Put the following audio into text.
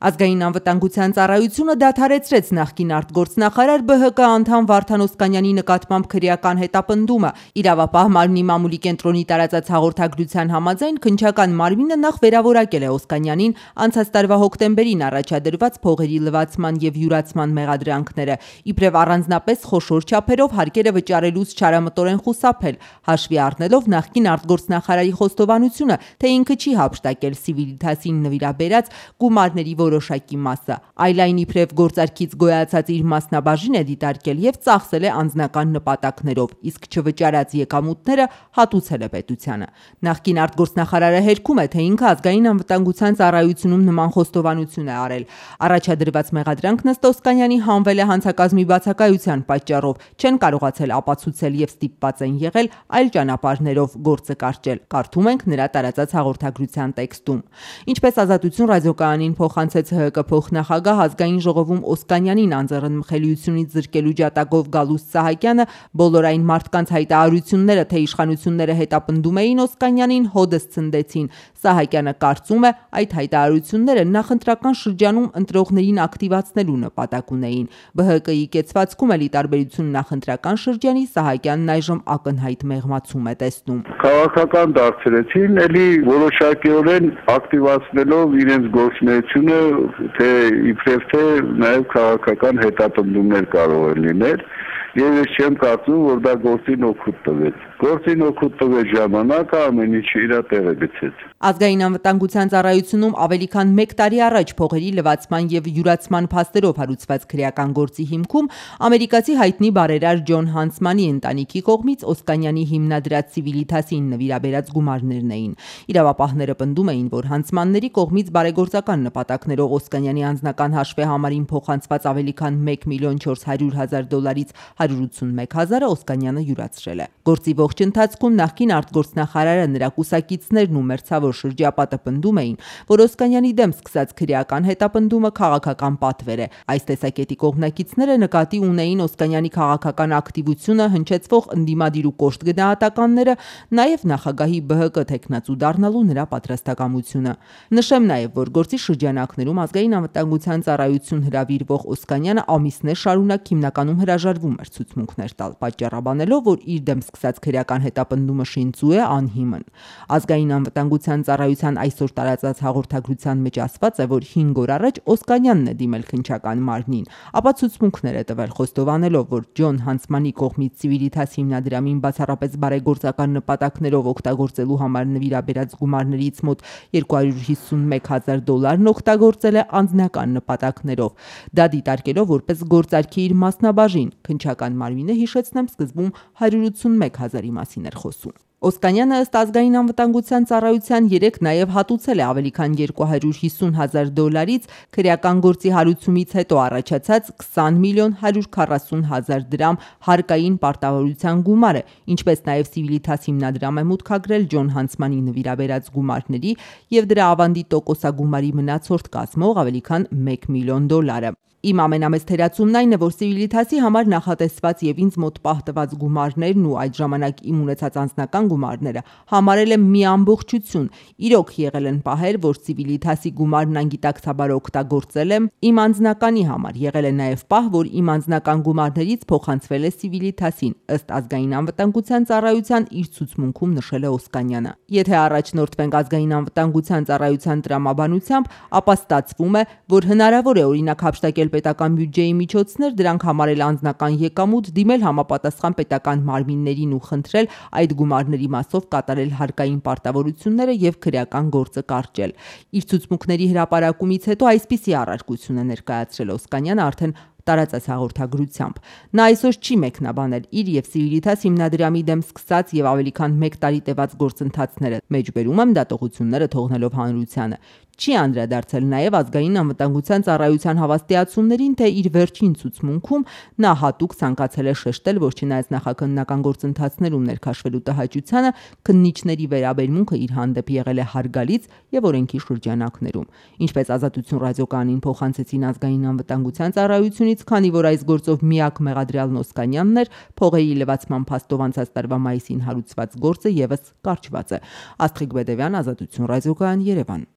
Ազգային անվտանգության ծառայությունը դադարեցրեց նախկին արտգործնախարար ԲՀԿ անդամ Վարդան Օսկանյանի նկատմամբ քրեական հետապնդումը։ Իրավապահ մարմնի մամուլի կենտրոնի տարածած հաղորդագրության համաձայն քննչական մարմինը նախ վերավորակել է Օսկանյանին անցած տարվա հոկտեմբերին առաջադրված փողերի լվացման եւ յուրացման մեղադրանքները, իբրև առանձնապես խոշոր չափերով հարկերը վճարելուց չարամտորեն խուսափել, հաշվի առնելով նախկին արտգործնախարարի խոստովանությունը, թե ինքը չի հափշտակել Civiltas-ին նվիրաբերած գումարների որոշակի մասը, այլ այն իբրև գործարքից գոյացած իր մասնաբաժին է դիտարկել եւ ծախսել է անձնական նպատակներով, իսկ չվճարած եկամուտները հատուցել է պետությանը։ Նախկին արտգործնախարարը հերքում է, թե ինքը ազգային անվտանգության ծառայությունում նման խոստովանություն է արել։ Առաջադրված մեղադրանքն ըստ Օսկանյանի հանվել է հանցակազմի բացակայության պատճառով, չեն կարողացել ապացուցել եւ ստիպված են եղել այլ ճանապարհներով գործը կարճել։ Կարդում ենք նրա տարածած հաղորդագրության տեքստում։ Ինչպես Ազատություն ռադիոկայանին փոխանցեց ՀՀԿ փոխնախագահ, ազգային ժողովում Օսկանյանին անձեռնմխելիությունից զրկելու ջատագով Գալուստ Սահակյանը բոլոր այն մարդկանց հայտարարությունները, թե իշխանությունները հետապնդում էին Օսկանյանին, հոդս ցնդեցին։ Սահակյանը կարծում է, այդ հայտարարությունները նախընտրական շրջանում ընտրողներին ակտիվացնելու նպատակ ունեին։ ԲՀԿ-ի կեցվածքում էլի տարբերություն նախընտրական շրջանի Սահակյանն այժմ ակնհայտ մեղմացում է տեսնում։ Քաղաքական դարձրեցին, էլի որոշակիորեն ակտիվացնելով իրենց գործունեությունը, թե իբրև թե նաև քաղաքական հետապնդումներ կարող են լինել, եւ ես չեմ կարծում, որ դա գործին օգուտ տվեց։ Գործին օգուտ տվեց ժամանակը, ամեն ինչը իր տեղը գցեց։ Ազգային անվտանգության ծառայությունում ավելի քան 1 տարի առաջ փողերի լվացման եւ յուրացման փաստերով հարուցված քրեական գործի հիմքում ամերիկացի հայտնի բարերար Ջոն Հանսմանի ընտանիքի կողմից Օսկանյանի հիմնադրած Civiltas-ին նվիրաբերած գումարներն էին։ Իրավապահները պնդում էին, որ Հանսմանների կողմից բարեգործական նպատակներով Օսկանյանի անձնական հաշվեհամարին փոխանցված ավելի քան $1,400,000-ից 181,000-ը Օսկանյանը յուրացրել է։ Գործի ողջ ընթացքում նախկին արտգործնախարարը, նրա կուսակիցներն ու մերձավոր շրջապատը պնդում էին, որ Օսկանյանի դեմ սկսած քրեական հետապնդումը քաղաքական պատվեր է։ Այս տեսակետի կողմնակիցները նկատի ունեին Օսկանյանի քաղաքական ակտիվությունը հնչեցվող ընդդիմադիր ու կոշտ գնահատականները, նաև նախագահի ԲՀԿ թեկնածու դառնալու նրա պատրաստակամությունը։ Նշեմ նաև, որ գործի շրջանակներում ազգային անվտանգության ծառայություն հրավիրվող Օսկանյանը ամիսներ շարունակ հիմնականում հրաժարվում էր ցուցմունքներ տալ, պատճառաբանելով, որ իր դեմ սկսած քրեական հետապնդումը շինծու է, անհիմն։ Ազգային անվտանգության ծառայության այսօր տարածած հաղորդագրության մեջ ասված է, որ 5 օր առաջ Օսկանյանն է դիմել քննչական մարմնին, ապա ցուցմունքներ է տվել, խոստովանելով, որ Ջոն Հանսմանի կողմից Civiltas հիմնադրամին բացառապես բարեգործական նպատակներով օգտագործելու համար նվիրաբերած գումարներից մոտ $251,000 օգտագործել է անձնական նպատակներով։ Դա դիտարկելով որպես գործարքի իր մասնաբաժին, քննչական մարմինը, հիշեցնեմ, սկզբում 181,000-ի մասին էր խոսում։ Օսկանյանը ըստ ազգային անվտանգության ծառայության 3 նաև հատուցել է ավելի քան $250,000-ից քրեական գործի հարուցումից հետո առաջացած 20,140,000 դրամ հարկային պարտավորության գումարը, ինչպես նաև Civiltas հիմնադրամ է մուտքագրել Ջոն Հանսմանի նվիրաբերած գումարների եւ դրա ավանդի տոկոսագումարի մնացորդ կազմող ավելի քան $1,000,000։ Իմ ամենամեծ թերացումն այն է, որ Civiltas-ի համար նախատեսված եւ ինձ մոտ պահտված գումարներն ու այդ ժամանակ իմ ունեցած անձնական գումարները համարել եմ մի ամբողջություն։ Իրոք եղել են պահեր, որ Civiltas-ի գումարն անգիտակցաբար օգտագործել եմ իմ անձնականի համար, եղել է նաև պահ, որ իմ անձնական գումարներից փոխանցվել է Civiltas-ին, ըստ ազգային անվտանգության ծառայության իր ցուցմունքում նշել է Օսկանյանը։ Եթե առաջնորդվենք ազգային անվտանգության ծառայության տրամաբանությամբ, ապա ստացվում է, որ հնարավոր է օրինակ հափշտակել պետական բյուջեի միջոցներ, դրանք համարել անձնական եկամուտ, դիմել համապատասխան պետական մարմիններին ու խնդրել այդ գումարների մասով կատարել հարկային պարտավորությունները եւ քրեական գործը կարճել։ Իր ցուցմունքների հրապարակումից հետո այսպիսի առարկություն է ներկայացրել Օսկանյանը արդեն տարածած հաղորդագրությամբ։ Նա այսօր չի մեկնաբանել իր եւ Civiltas հիմնադրամի դեմ սկսած եւ ավելի քան 1 տարի տևած գործընթացները, մեջբերում եմ դատողությունները թողնելով հանրությանը։ Չի անդրադարձել նաև ազգային անվտանգության ծառայության հավաստիացումներին, թե իր վերջին ցուցմունքում նա հատուկ ցանկացել է շեշտել, որ չնայած նախաքննական գործընթացներում ներքաշվելու տհաճությանը, քննիչների վերաբերմունքը իր հանդեպ եղել է հարգալից եւ օրենքի շրջանակներում։ Ինչպես Ազատություն ռադիոկայանին փոխանցեցին ազգային անվտանգության ծառայությունից, քանի որ այս գործով միակ մեղադրյալն Օսկանյանն էր, փողերի լվացման փաստով անցած տարվա մայիսին հարուցված գործը եւս կարճված է։ Աստղիկ Բեդևյան, Ազատություն ռադիոկայան, Երևան։